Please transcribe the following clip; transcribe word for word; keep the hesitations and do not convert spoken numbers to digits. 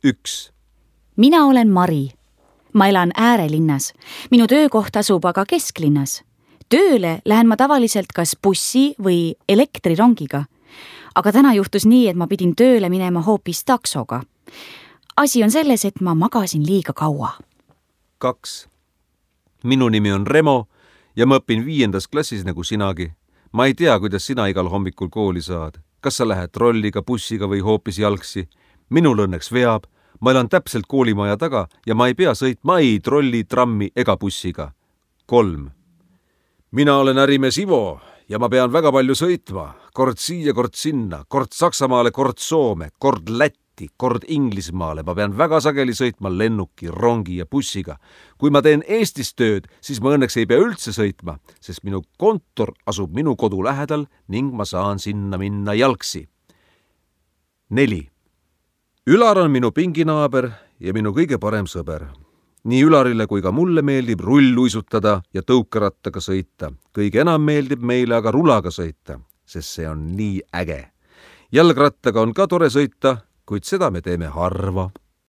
üks. Mina olen Mari. Ma elan äärelinnas. Minu töökoht asub aga kesklinnas. Tööle lähen ma tavaliselt kas bussi või elektrirongiga. Aga täna juhtus nii, et ma pidin tööle minema hoopis taksoga. Asi on selles, et ma magasin liiga kaua. kaks. Minu nimi on Remo ja ma õpin viiendas klassis nagu sinagi. Ma ei tea, kuidas sina igal hommikul kooli saad. Kas sa lähed trolliga, bussiga või hoopis jalgsi? Minul õnneks veab. Ma elan täpselt koolimaja taga ja ma ei pea sõitma ei trolli, trammi ega bussiga. kolm. Mina olen ärimees Ivo ja ma pean väga palju sõitma. Kord siia, kord sinna, kord Saksamaale, kord Soome, kord Lätti, kord Inglismaale. Ma pean väga sageli sõitma lennuki, rongi ja bussiga. Kui ma teen Eestis tööd, siis ma õnneks ei pea üldse sõitma, sest minu kontor asub minu kodu lähedal ning ma saan sinna minna jalgsi. neli. Ülar on minu pinginaaber ja minu kõige parem sõber. Nii Ülarile kui ka mulle meeldib rulluisutada ja tõukerattaga sõita. Kõige enam meeldib meile aga rulaga sõita, sest see on nii äge. Jalgrattaga on ka tore sõita, kuid seda me teeme harva.